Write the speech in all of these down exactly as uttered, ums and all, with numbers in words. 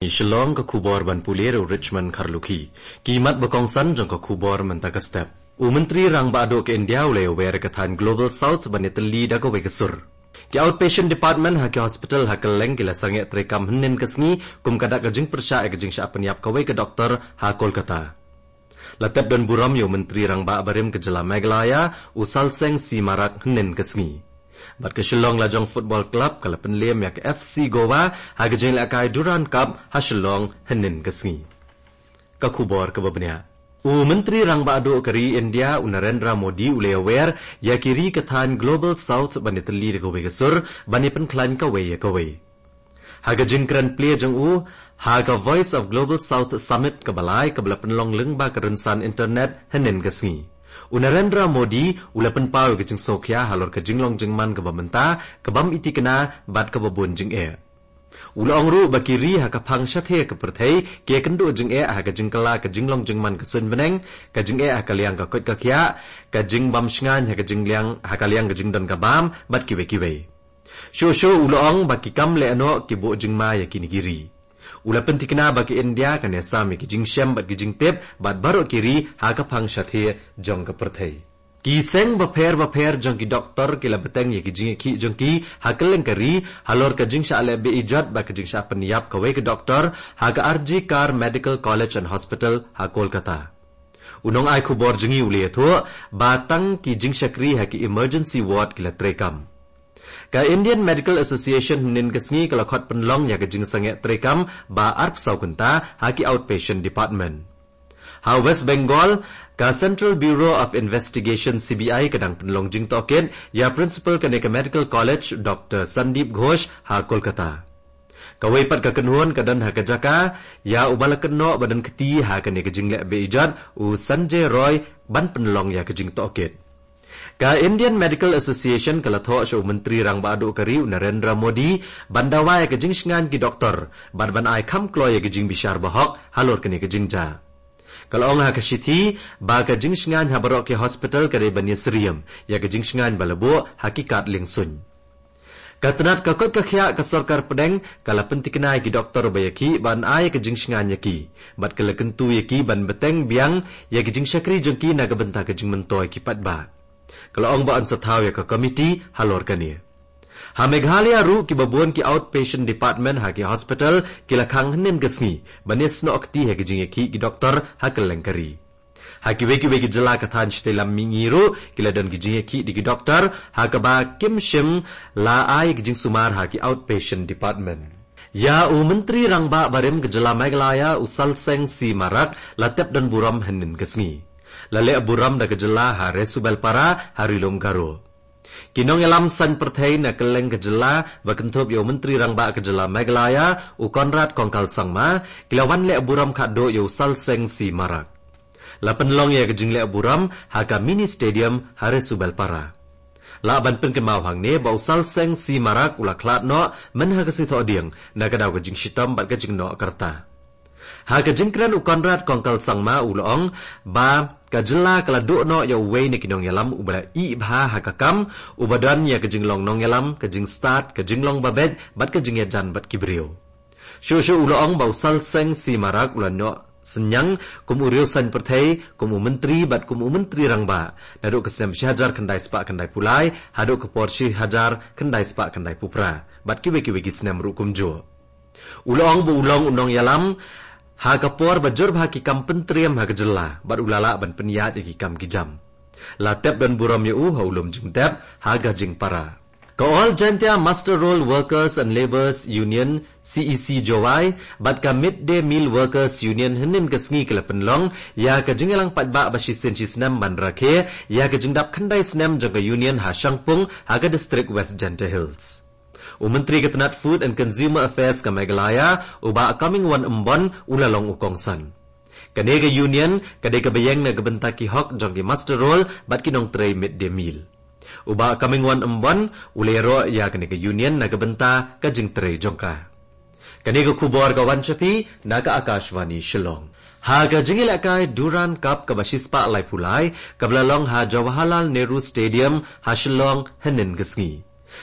Shillong, ka khubor ban pule da u Richmond Kharlukhi. Ki mat ba kongsan jong ka khubor mynta ka step. U Myntri Rangbah Duh ka India u la ïawer ïa ka thaiñ Global South ban ïatylli da kawei ka sur. Ki outpatient department ha ki hospital ha kylleng ki la sangeh treikam hynnin ka sngi kum ka dak ka jingpyrshah ïa ka jingshah pynïap kawei ka doktor ha Kolkata. La tep don burom ïa u Myntri Rangbah barim ka jylla Meghalaya, u Salseng C Marak, hynnin ka sngi. Bad ka Shillong Lajong Football Club ka la pynlem ïa ka F C Goa ha ka jingïalehkai Durand Cup ha Shillong hynnin ka sngi. Ka khubor kaba bniah. U Myntri Rangbah Duh ka ri India, u Narendra Modi, u la ïawer ïa ki ri ka thaiñ Global South ban ïatylli da kawei ka sur, ban ïapynkhlaiñ kawei ïa kawei. Ha ka jingkren plie jong u ha ka Voice of Global South Summit kaba lai kaba la pynlong lyngba ka rynsan internet hynnin ka sngi, u Narendra Modi u la pynpaw ïa ka jingsngewkhia halor ka jinglong jingman kaba mynta, ka bym i thikna bad kaba bun jingeh. U la ong ruh ba ki ri ha ka phang shathie ka pyrthei ki ïakynduh jingeh ha ka jingkylla ka jinglong jingman ka suiñ bneng, ka jingeh ha ka liang ka koit ka khiah, ka jingbam shngaiñ ha ka jingliang, ha ka liang ka jingdon ka bam bad kiwei kiwei. Shuh shuh u la ong ba ki kam lehnoh ki buh jingma ïa kine ki ri. U la pynthikna ba ka India kan ïasam ïa ki jingshem bad ki jingtip bad baroh ki ri ha ka phang shathie jong ka pyrthei. Ki seng bapher bapher jong ki doktor ki la bteng ïa ki jingïakhih jong ki ha kylleng ka ri halor ka jingshah leh be-ijot bad ka jingshah pynïap kawei ka doktor ha ka R G Kar Medical College and Hospital ha Kolkata. U nongai khubor jong ngi u la ïathuh ba tang ki jingshakri ha ki emergency ward ki la treikam. Ka Indian Medical Association hynnin ka sngi ka la khot pynlong ïa ka jingsangeh treikam ba arphew saw kynta ha ki outpatient department. Ha West Bengal, ka Central Bureau of Investigation, C B I, ka dang pynlong jingtohkit ïa principal kane ka medical college, Doctor Sandeep Ghosh, ha Kolkata. Kawei pat ka kynhun ka don ha ka jaka ïa uba la kynnoh ba don kti ha kane ka jingleh be-ijot, u Sanjay Roy, ban pynlong ïa ka jingtohkit. Ka Indian Medical Association ka la thoh sha u Myntri Rangbah Duh ka ri, u Narendra Modi, ban dawa ïa ka jingshngaiñ ki doktor bad ban ai kham kloi ïa ka jingbishar bahok halor kane ka jingjia. Ka la ong ha ka shithi ba ka jingshngaiñ ha baroh ki hospital ka dei ban ïasyriem ïa ka jingshngaiñ ba la buh ha ki kad liengsuiñ. Ka tnat ka koit ka khiah ka sorkar pdeng ka la pynthikna ïa ki doktor ba ïakhih ban ai ïa ka jingshngaiñ ïa ki bad ka la kyntu ïa ki ban bteng biang ïa ka jingshakri jong ki na ka bynta ka jingmyntoi ki paidbah. Ka la ong ba yn sa thaw ïa ka komiti halor kane. Ha Meghalaya ruh kiba bun ki outpatient department ha ki hospital ki la khang hynnin ka sngi ban ïasnoh kti ha ka jingïakhih ki doktor ha kylleng ka ri. Ha kiwei kiwei ki jylla ka thaiñ shatei lam mihngi ruh ki la don ki jingïakhih da ki doktor ha kaba kim shym la ai ki jingsumar ha ki outpatient department. Ïa u Myntri Rangbah barim ka jylla Meghalaya, u Salseng C Marak, la tep don burom hynnin ka sngi. La leh burom da ka jylla ha Resubelpara ha Ri Lum Garo. Ki nongïalam saiñ pyrthei na kylleng ka jylla ba kynthup ïa u Myntri Rangbah ka jylla Meghalaya, u Conrad Kongkal Sangma, ki la wan leh burom khadduh ïa u Salseng C Marak. La pynlong ïa ka jingleh burom ha ka mini stadium ha Resubelpara. Lah ban pynkynmaw hangne ba u Salseng C Marak u la khlad noh myn ha ka sngi Thohdieng na ka daw ka jingshitom bad ka jingnoh ka rta. Ha ka jingkren u Conrad Kongkal Sangma u la ong ba ka jylla ka la duh noh ïa uwei na ki nongïalam uba la ih bha ha ka kam, uba don ïa ka jinglong nongïalam, ka jingstad, ka jinglong babeit bad ka jingïajan bad ki briew. Shuh shuh u la ong ba u Salseng C Marak u la noh synñiang kum u riew saiñ pyrthei, kum u Myntri bad kum u Myntri Rangbah naduh ka snem shi hajar khyndai spah khyndai phew lai haduh ka por shi hajar khyndai spah khyndai phew phra bad kiwei kiwei ki snem ruh kumjuh. U la ong ba u long u nongïalam ha ka por ba jur bha ki kam pyntriem ha ka jylla bad u la lah ban pynïaid ïa ki kam ki jam. La tep don burom ïa u ha u lum jingtep ha Gajingpara. Ka All Jaintia Muster Roll Workers and Labourers Union, C E C Jowai, bad ka Mid Day Meal Workers Union hynnin ka sngi ki la pynlong ïa ka jingïalang paidbah ba shisien shisnem ban rakhe ïa ka jingdap khyndai snem jong ka union ha Shangpung ha ka district West Jaintia Hills. U Myntri ka tnat Food and Consumer Affairs ka Meghalaya, u Bah Comingone Ymbon, u la long u kongsan. Kane ka union ka dei kaba ïeng na ka bynta ki hok jong ki muster roll bad ki nongtrei mid day meal. U Bah Comingone Ymbon u la ïaroh ïa kane ka union na ka bynta ka jingtrei jong ka. Kane ka khubor ka wan sha phi na ka Akashvani Shillong. Ha ka jingïalehkai Durand Cup kaba shispah laiphew lai kaba la long ha Jawaharlal Nehru Stadium ha Shillong hynnin ka sngi,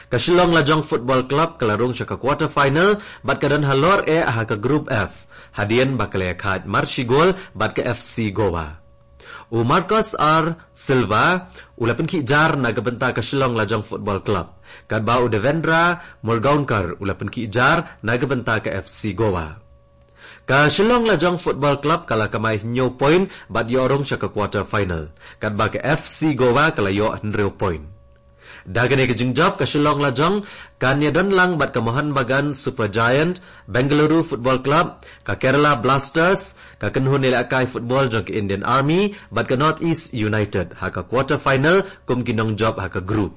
Ka Shillong Lajong Football Club ka la rung sha ka quarter final bad ka don halor eh ha ka Group F, hadien ba ka la ïakhaid marshi gol bad ka F C Goa. U Marcos R Silva u la pynkhih jar na ka bynta ka Shillong Lajong Football Club, katba u Devendra Murgaonkar u la pynkhih jar na ka bynta ka F C Goa. Ka Shillong Lajong Football Club ka la kamai hynñiew point bad ïoh rung sha ka quarter final, katba ka F C Goa ka la ïoh hynriew point. Da kane ka jingjop ka Shillong Lajong kan ïadon lang bad ka Mohun Bagan Super Giant, Bengaluru Football Club, ka Kerala Blasters, ka kynhun ïalehkai football jong ka Indian Army bad ka North East United ha ka quarter final kum ki nongjop ha ka group.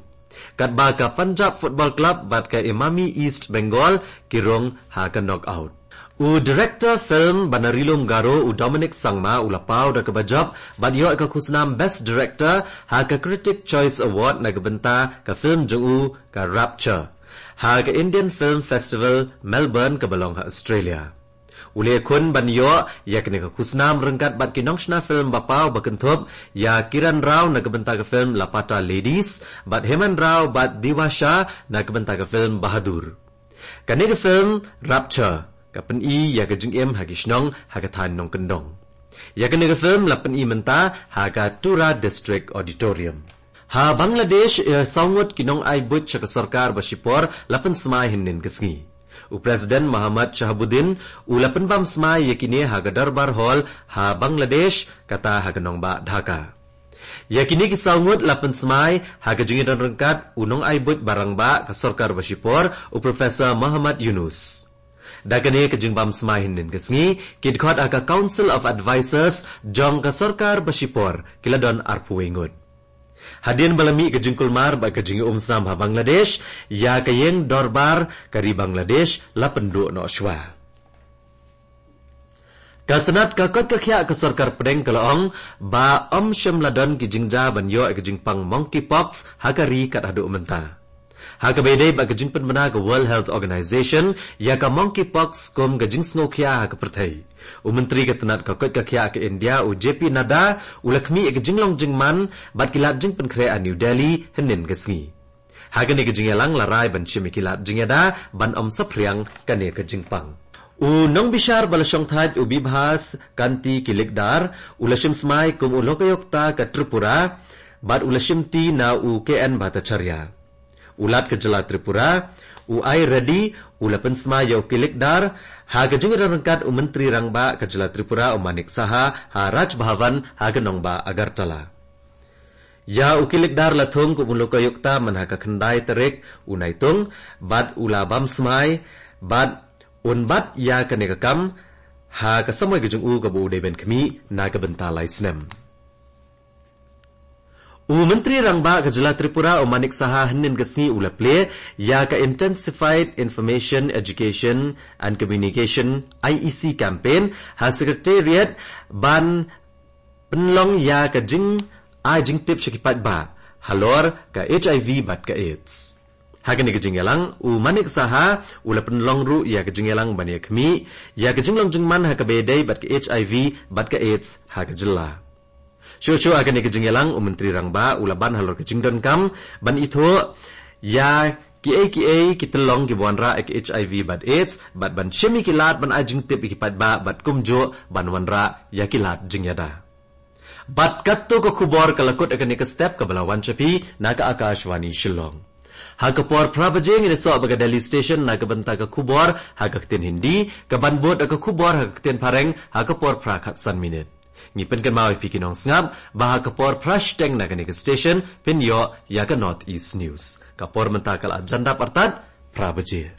Katba ka Punjab Football Club bad ka Emami East Bengal ki rung ha ka knockout. U director film Banarilum Garo u Dominic Sangma u la paw da kaba jop bad ïoh ka khusnam Best Director ha ka Critic Choice Award na ka bynta ka film jong u ka Rapture ha ka Indian Film Festival Melbourne kaba long ha Australia. U la ïakhun ban ïoh ïa kane ka khusnam ryngkat bad ki nongshna film ba paw ba kynthup ïa Kiran Rao na ka bynta ka film Lapata Ladies bad Heman Rao bad Diwa Shah na ka bynta ka film Bahadur. Kane ka film Rapture ka pyni ïa ka jingim ha ki shnong ha ka thaiñ nongkyndong. Ïa kane ka film la pyni mynta ha ka Tura District Auditorium. Ha Bangladesh, eh, saw ngut ki nongai buit sha ka sorkar ba shipor la pynsmai hynnin ka sngi. U President Mohammad Shahabuddin u la pynbam smai ïa kine ha ka Darbar Hall ha Bangladesh, kata ha ka nongbah Dhaka. Ïa kine ki saw ngut la pynsmai ha ka jingïadon ryngkat u nongai buit ba rangbah ka sorkar ba shipor, u Professor Mohammad Yunus. Da kane ka jingbam smai hynnin ka sngi, ki dkhot ha ka Council of Advisors jong ka sorkar ba shipor ki la don arphew wei ngut. Hadien ba la mih ka jingkulmar bad ka jingïaumsnam ha Bangladesh, ïa ka ïing dorbar ka ri Bangladesh la pynduh noh shuwa. Ka tnat ka koit ka khiah ka sorkar pdeng ka la ong ba ym shym la don ki jingjia ban ïoh ïa ka jingpang monkeypox ha ka ri kat haduh mynta. Ha kaba ïadei bad ka jingpynbna ka World Health Organization ïa ka monkeypox kum ka jingsngewkhia ha ka pyrthei, u Myntri ka tnat ka koit ka khiah ka India, u J P Nadda, u la khmih ïa ka jinglong jingman bad ki lad jingpynkhreh ha New Delhi hynnin ka sngi. Ha kane ka jingïalang la rai ban shim ïa ki lad jingïada ban ym saphriang kane ka jingpang. U nongbishar ba la shongthait, u Bibhas Kanti Kilikdar, u la shim smai kum u lokayukta ka Tripura bad u la shimti na u K N Bhattacharya. U Lat ka jylla Tripura, u I Reddy, u la pynsmai ïa u Kilikdar ha ka jingïadon ryngkat u Myntri Rangbah ka jylla Tripura, u Manik Saha, ha Raj Bhavan ha ka nongbah Agartala. Ïa u Kilikdar la thung kum u lokayukta man ha ka khyndai tarik u Naitung bad u la bam smai bad un bat ïa kane ka kam ha ka samoi ka jong u kaba u dei ban khmih na ka bynta lai snem. U Myntri Rangbah ka jylla Tripura, u Manik Saha, hynnin ka sngi u la plie ïa ka Intensified Information, Education and Communication, I E C campaign ha Secretariat ban pynlong ïa ka jingai jingtip sha ki paidbah halor ka H I V bad ka AIDS. Ha kane ka jingïalang, u Manik Saha u la pynlong ruh ïa ka jingïalang ban ïakhmih ïa ka jinglong jingman ha kaba ïadei bad ka H I V bad ka AIDS ha ka jylla. Shuh shuh ha kane ka jingïalang, u Myntri Rangbah u la ban halor ka jingdonkam ban ithuh ïa kiei kiei ki tyllong kiba wanrah ïa ka H I V bad AIDS bad ban shim ïa ki lad ban ai jingtip ïa ki paidbah bad kumjuh ban wanrah ïa ki lad jingïada. Bad katto ka khubor ka la kut ha kane ka step kaba la wan sha phi na ka Akashvani Shillong. Ha ka por phra baje ngin ïasoh bad ka Delhi Station na ka bynta ka khubor ha ka ktien Hindi, kaban bud da ka khubor ha ka ktien Phareng ha ka por phra khatsan minit. Ngi pynkynmaw ïa phi ki nongsngap ba ha ka por phra shiteng na kane ka station phin ïoh ïa ka North East News. Ka por mynta ka la jan dap artat phra baje.